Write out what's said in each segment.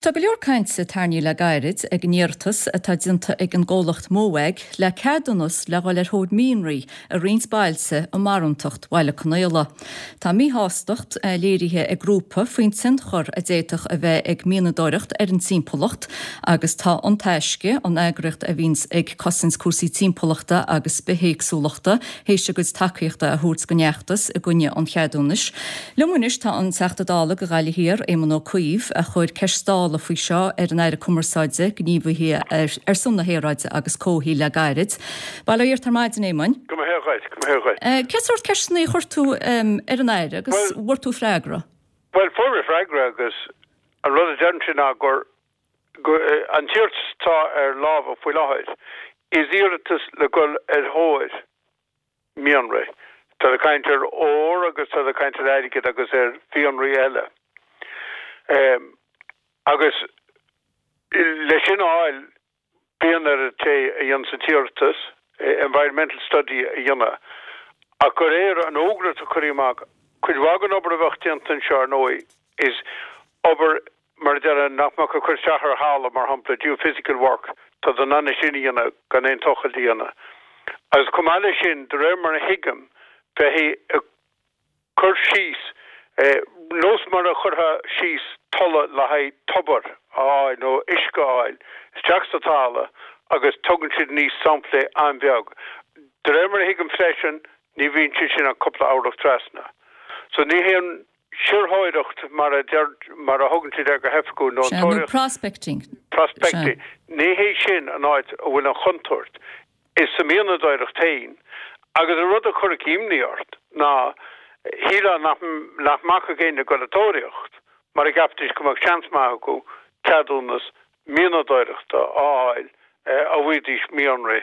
Tá go leor cainte tarraingthe le gairid ag an iarratas atá déanta ag an gcomhlacht Mowag le ceadúnas le dhul ar thóir mianraí i roinnt bailte i mbarúntacht Bhaile Conaola. Tá míshástacht léirithe ag grúpa faoin tionchar a d'fhéadfadh a bheith ag mianadóireacht ar an timpeallacht agus tá An Taisce, an eagraíocht a bhíonns ag cosaint cúrsaí timpeallachta agus bithéagsúlachta, théis a gcuid tacaíochta a thabhairt don fheachtas i gcoinne an cheadúnais. Liom anois tá an Teachta Dála do Ghaillimh Thiar, Éamon Ó Cuív, a chuir ceist Dála faoi seo ar an Aire Cumarsáide, Gníomhaithe ar son na hAeráide agus Comhshaoil le gairid. Bail ó Dhia ort ar maidin, Éamoin. Go mba hea dhuit, go mba hea dhuit. Cén sórt ceisteanna a chuir tú ar an Aire agus bhfuair tú freagra? Bhuel, fuair mé freagra agus an rud a deireann sé ná gur an t-iarratas atá ar lámha faoi láthair, is iarratas le dhul ar thóir mianraí. Táid ag caint ar ór agus táid ag caint ar airgead agus ar mhianraí eile. Agus leis sin a fháil, bíonn ar an té a dhéanas an t-iarratas environmental study a dhéanamh. Ach de réir an fhógra atá curtha amach, cuid mhaith den obair a bheadh déanta anseo, ar ndóigh, is obair mar a déarfá, nach mbeadh ag cur isteach ar thalamh, mar shampla, geophysical work, tá siad in ann é sin a dhéanamh gan aon tochailt a dhéanamh. Agus chomh maith leis sin, de réir mar a thuigim, bheifí ag cur síos, nós mar a chuirfeá síos tula le haghaidh tobar a fháil nó uisce a fháil, isteach sa talamh agus tugann siad aníos samplaí an-bheag. De réir mar a thuigim freisin, ní bhíonn sé sin ach cúpla orlach trasna. So ní haon sirtheoireacht mar a deir, mar a thugann siad air go hoifigiúil, nó an Sea, nó tóraíocht. prospecting. Prospecting. Ní hé sin an áit a bhfuil an chontúirt. Is sa mhianadóireacht féin. Agus an rud a chuirfeadh imní ort ná, shílfeá nach, nach mbacfadh éinne ag dul ag tóraíocht, mar a gceapfaidís go mbeadh seans maith acu ceadúnas mianadóireachta a fháil dá bhfaighidís mianraí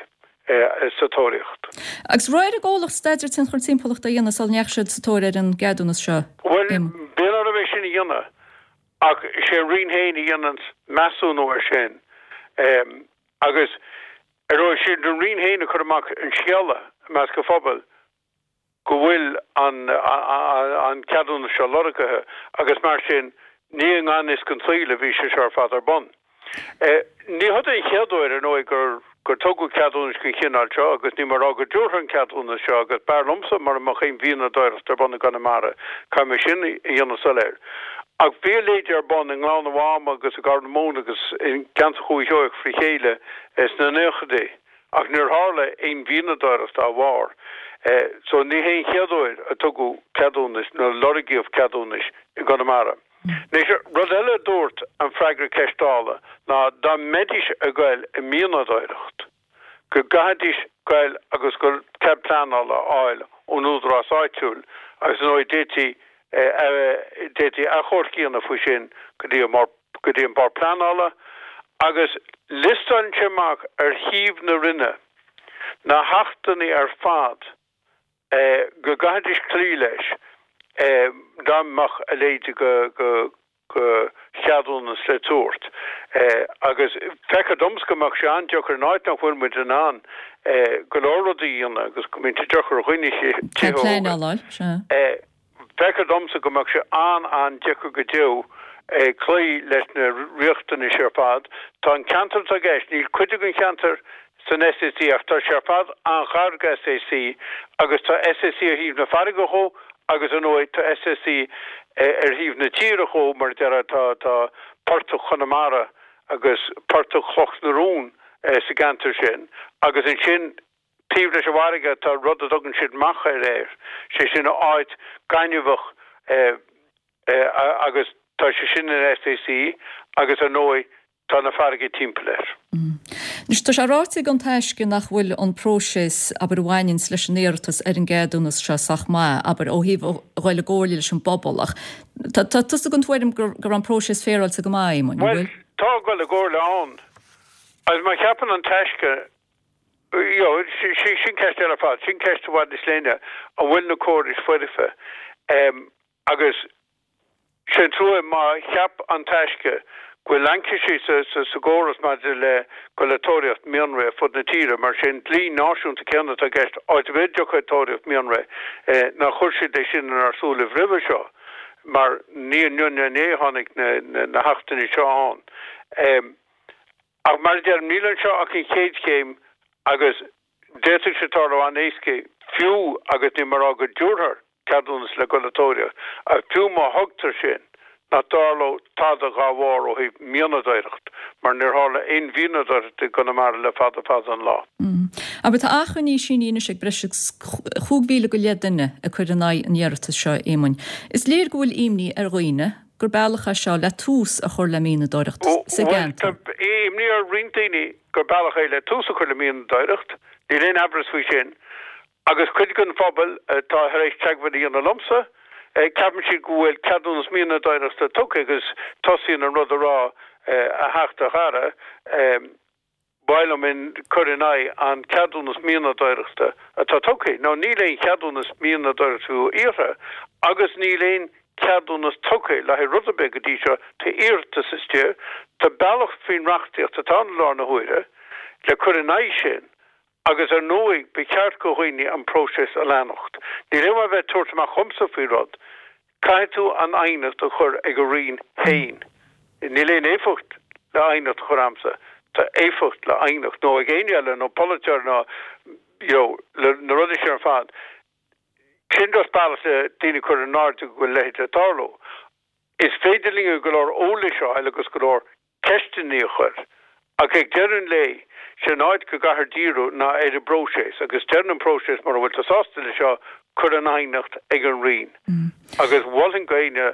sa tóraíocht. Agus raibh ar an gcomhlacht staidéar tionchar timpeallachta a dhéanamh sula ndeachaigh siad sa tóir ar an gceadúnas seo? Bhuel, bíonn orthu é sin a dhéanamh ach is é an Roinn féin a dhéananns measúnú air sin agus ar ndóigh is iad an Roinn féin a chuir amach an scéala i measc an phobail go bhfuil an ceadúnas seo lorgaithe agus mar sin ní i ngan fhios don tsaol a bhí sé seo ar fad ar bun. Ní hé an chéad uair, ar ndóigh, gur gur tugadh ceadúnais den chineál seo agus níl mé ag rá go dtabharfar an ceadúnas seo agus b'fhearr liomsa mura mbeadh aon mhianadóireacht ar bun i gConamara, caithfidh mé sin a dhéanamh soiléir. Ach bhí a leithéid ar bun i nGleann an Mháma agus i gCorr na Móna agus i gceantar Dhúiche Sheoigheach fré chéile sna naochaidí. Ach níor tharla aon mhianadóireacht dá bharr. So ní hé an chéad uair a tugadh ceadúnais nó lorgaíodh ceadúnais i gConamara. Anois, rud eile a dúirt an freagra ceist Dála ná dá mbeidís ag goil i mianadóireacht, go gcaithfidís goil agus go cead pleanála a fháil ón údarás áitiúil agus ar ndóigh d'fhéadfaí d'fhéadfaí achomharc a dhéanamh faoi sin go dtí an Bord go dtí an Bord Pleanála agus liostálann sé amach ar shuíomh na Roinne na hachtanna ar fad go gcaithfidís cloí leis dá mbeadh a leithéid de cheadúnas le tabhairt. Agus feictear domsa go mbeadh sé an-deacair in áit nach bhfuil muid in ann go leor rudaí a dhéanamh agus go mbíonn sé deacair ar dhaoine tithe a thógáil. Feictear domsa go mbeadh sé an-an-deacair go deo cloí leis na riachtanais ar fad. Tá an ceantar atá i gceist, níl cuid den cheantar san SAC ach tá sé ar fad an-ghar go SAC agus tá SAC ar thaobh na farraige dhó agus ar ndóigh tá SAC ar thaobh na tíre dhó mar a déarfá tá tá portach Chonamara agus portach Chloch na Rón sa gceantar sin agus ansin Taobh leis an bhfarraige tá rud a dtugann siad machair air, sé sin áit gaineamhach agus tá sé sin in SAC agus ar ndóigh tá na farraige timpeall air. Anois tá sé ráite ag An Taisce nach bhfuil an próiseas, abair, a bhaineanns leis an iarratas ar an gceadúnas seo sách maith, abair, ó thaobh a ghoil i gcomhairle leis an bpobal ach tá tusa den tuairim go raibh an próiseas féaráilte go maith, Éamoin, an bhfuil? Bhuel, tá dul i gcomhairle ann agus má cheapann An Taisce You know, sin ceist eile ar fad. Sin ceist i bhfad níos leithne, an bhfuil na córais foirfe? Agus sé an trua má cheap An Taisce go bhfuil laincisí sa gcóras maidir le dul ag tóraíocht mianraí ar fud na tíre, mar sé an dlí náisiúnta céanna atá i gceist, áit ar bith a dtiocfá ag tóraíocht mianraí, nár chuir siad é sin inár súilibh roimhe seo. mar ní inniu ná inné a tháinig na hachtanna seo ann. Ach mar a deirim, níl anseo ach an chéad chéim agus d'fhéadfadh sé tarlú an-éasca fiú agus níl mé ag rá go dtabharfar ceadúnas le dul ag tóraíocht, ach fiú má thugtar sin, nach dtarlódh tada dhá bharr ó thaobh mianadóireacht, mar níor tharla aon mhianadóireacht i gConamara le fada fada an lá. Abair, tá achainí sínithe anois ag breis agus 15,000 go leith duine ag cur in aghaidh an iarratais seo, a Éamoinn. Is léir go bhfuil imní ar dhaoine gur bealach é seo le tús a chur le mianadóireacht sa Bhuel, tá gceantar. imní ar roinnt daoine gur bealach é le tús a chur le mianadóireacht, níl aon amhras faoi sin. Agus cuid den phobal atá tar éis teagmháil a dhéanamh liomsa, ceapann siad go bhfuil ceadúnas mianadóireachta tugtha agus tosaíonn an rud a rá, a Theachta, a chara, ba mhaith liom cur in aghaidh an ceadúnas mianadóireachta atá tugtha. Now níl aon cheadúnas mianadóireachta fiú iarrtha agus níl aon ceadúnas tugtha le haghaidh rud ar bith go dtí seo, tá iarratas istigh, tá bealach faoin reachtaíocht atá ann i láthair na huaire le cur in aghaidh sin Agus ar ndóigh, ba cheart go dhaoine an próiseas a leanacht. Níl aon mhaith bheith ag tabhairt amach chughamsa faoi rud. Caithfidh tú an aighneacht a chur ag an Roinn féin. Níl aon éifeacht le aighneacht a chur a'msa. Tá éifeacht le aighneacht, nó ag éinne eile, nó polaiteoir nó you know, le na rudaí sin ar fad. Sin just bealach le daoine a chur in airde go bhfuil a leithéid le tarlú. Is féidir linn go leor eolais a fháil agus go leor ceisteanna a chur, ach ag deireadh an lae, sé an áit go gcaithfear díriú ná ar an bpróiseas, agus deireann an próiseas mura bhfuil tú sásta le seo, cuir an aighneacht ag an Roinn. Agus mholfainn go éinne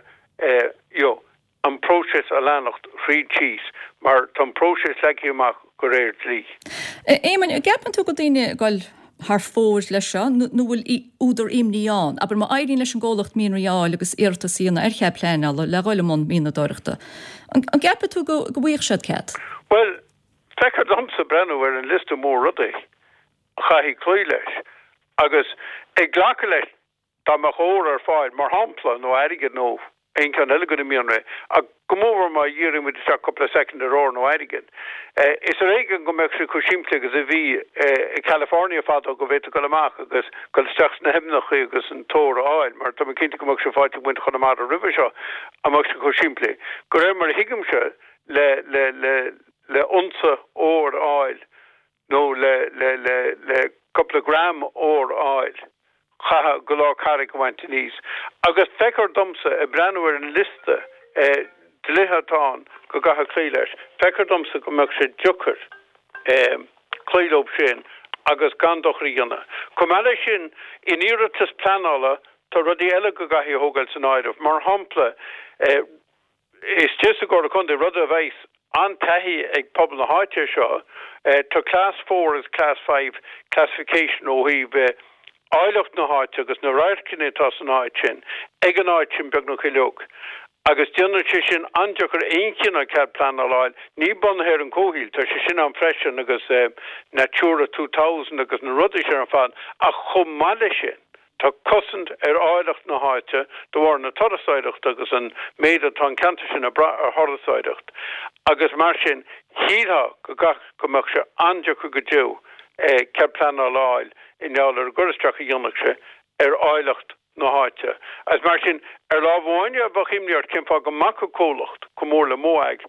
you know an próiseas a leanacht thríd síos, mar tá an próiseas leagtha amach de réir dlí. Éamoinn, an gceapann tú go bhfuil daoine ag dul thar fóir leis seo nó bhfuil údar imní ann? Abair, má éiríonn leis an gcomhlacht mianraí a fháil agus iarratas a dhéanamh ar chead pleanála le dhul i mbun mianadóireachta, an gceapann tú go bhfaighidh siad cead? Bhuel, feictear domsa breathnú ar an liosta mór rudaí a chaithfidh cloí leis agus ag glacadh leis Dá mbeadh ór ar fáil, mar shampla, nó airgead nó aon cheann eile de na mianraí, ach go mórmhór má dhíríonn muid isteach cúpla soicind ar ór nó airgead, is ar éigean go mbeadh sé chomh simplí agus a bhí i California fadó go bhféadfá dul amach agus dul isteach sna haibhneacha agus an t-ór a fháil, mar tá mé cinnte go mbeadh sé faighte ag muintir Chonamara roimhe seo, an mbeadh sé chomh simplí? De réir mar a thuigimse, le, le, le, le unsa óir a fháil nó le, le, le, le cúpla gram óir a fháil, chaithfeá go leor carraig a bhaint aníos. Agus feictear domsa, ag breathnú ar an liosta dlíthe atá ann go gcaithfear cloí leis, feictear domsa go mbeadh sé deacair cloí leo sin agus gan dochar a dhéanamh. Chomh maith leis sin, in iarratas pleanála tá rudaí eile go gcaithfí a thógáil san áireamh, mar shampla, Istigh sa gComhairle Contae, rud a bheas an-taithí ag pobal na háite air seo, tá Class 4 agus Class 5 classification ó thaobh áilleacht na háite agus na radharcanna atá san áit sin, ag an áit sin beagnach uilig. Agus déanann sé sin an-deacair aon chineál cead pleanála a fháil, ní bunaithe ar an comhshaoil, tá sé sin ann freisin agus Natura 2000 agus na rudaí sin ar fad, ach chomh maith leis sin, Tá cosaint ar áilleacht na háite de bharr na turasóireachta agus an méid atá an ceantar sin ag brath ar thurasóireacht agus mar sin shílfeá go gcaithfeadh go mbeadh sé an-deacair go deo cead pleanála a fháil i ngeall ar an gcur isteach a dhéanfadh sé ar áilleacht na háite. Agus mar sin ar lámh amháin bheadh imní ort cén fáth go mbacfadh comhlacht chomh mór le Mowag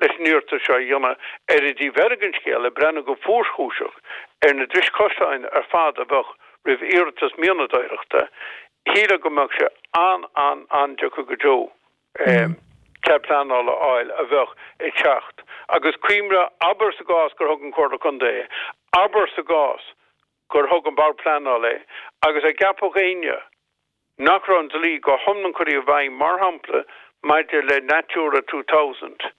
leis an iarratas seo a dhéanamh. Ar an dtaobh eile den scéal, ag breathnú go fuarchúiseach ar na dris chosáin ar fad a bheadh roimh iarratas mianadóireachta, shílfeá go mbeadh sé an-an-an-deacair go deo cead pleanála a fháil a bheadh ag teacht. Agus cuimhnigh, abair sa gcás gur thug an Chomhairle Contae é, abair sa gcás gur thug an Bord Pleanála é, agus an gceapfadh éinne nach raibh an dlí go hiomlán curtha i bhfeidhm, mar shampla, maidir le Natura 2000,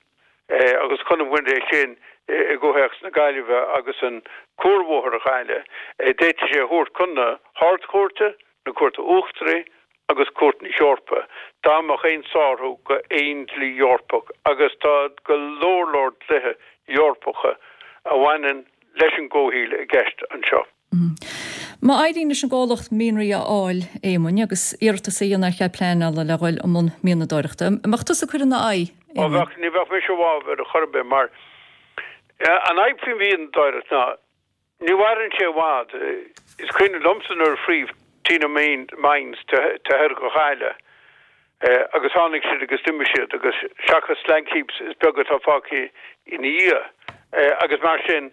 agus chonaic muid é sin i gcomhthéacs na Gaillimhe agus an cuarbhóthar a chailleadh, d'fhéadfaí sé a thabhairt chun na hArd-Chúirte, na Cúirte Uachtaraí agus Cúirt na hEorpa, dá mbeadh aon sárú go aon dlí Eorpach, agus tá go leor leor dlíthe Eorpacha a bhaineann leis an gcomhshaoil i gceist anseo. Má éiríonn leis an gcomhlacht mianraí a fháil, Éamoinn, agus iarratas a dhéanamh ar chead pleanála le dhul i mbun mianadóireachta, an mbeadh tusa ag cur ina aghaidh, Ó Éamoinn? bheadh, ní bheadh mise i bhfabhar ar chor ar bith, mar an fhadhb faoin mhianadóireacht ná ní mhaireann sé i bhfad. Is cuimhin liomsa nuair a scríobh Tynagh Mines to thoir go Chailleadh. Agus tháinig siad agus d'imigh siad agus seachas slag heaps is beag atá fágtha ina dhiaidh. Agus mar sin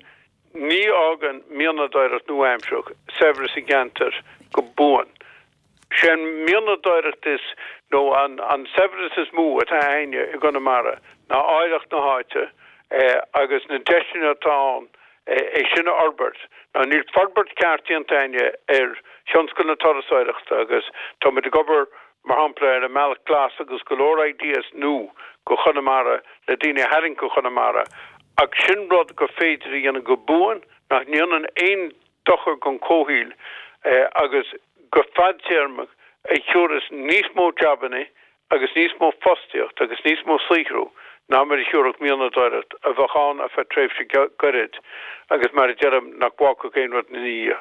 ní fhágann mianadóireacht nua-aimsearach saibhreas i gceantar go buan. Sé an mianadóireacht is, nó an saibhreas is mó atá a'inne i gConamara ná áilleacht na háite agus na deiseanna atá ann é sin a fhorbairt. Now níl forbairt ceart déanta a'inne ar thionscal na turasóireachta agus tá muid ag obair mar shampla ar an mBealach Glas agus go leor ideas nua go Chonamara le daoine a tharraingt go Chonamara ach sin rud gur féidir a dhéanamh go buan nach ndéanann aon dochar don chomhshaoil agus go fadtéarmach a thiúrfas níos mó jabanna agus níos mó fostaíocht agus níos mó saothrú ná mar a thiúrfadh mianadóireacht a bheadh ann ar feadh tréimhse gairid agus mar a deirim nach bhfágfadh aon rud ina dhiaidh.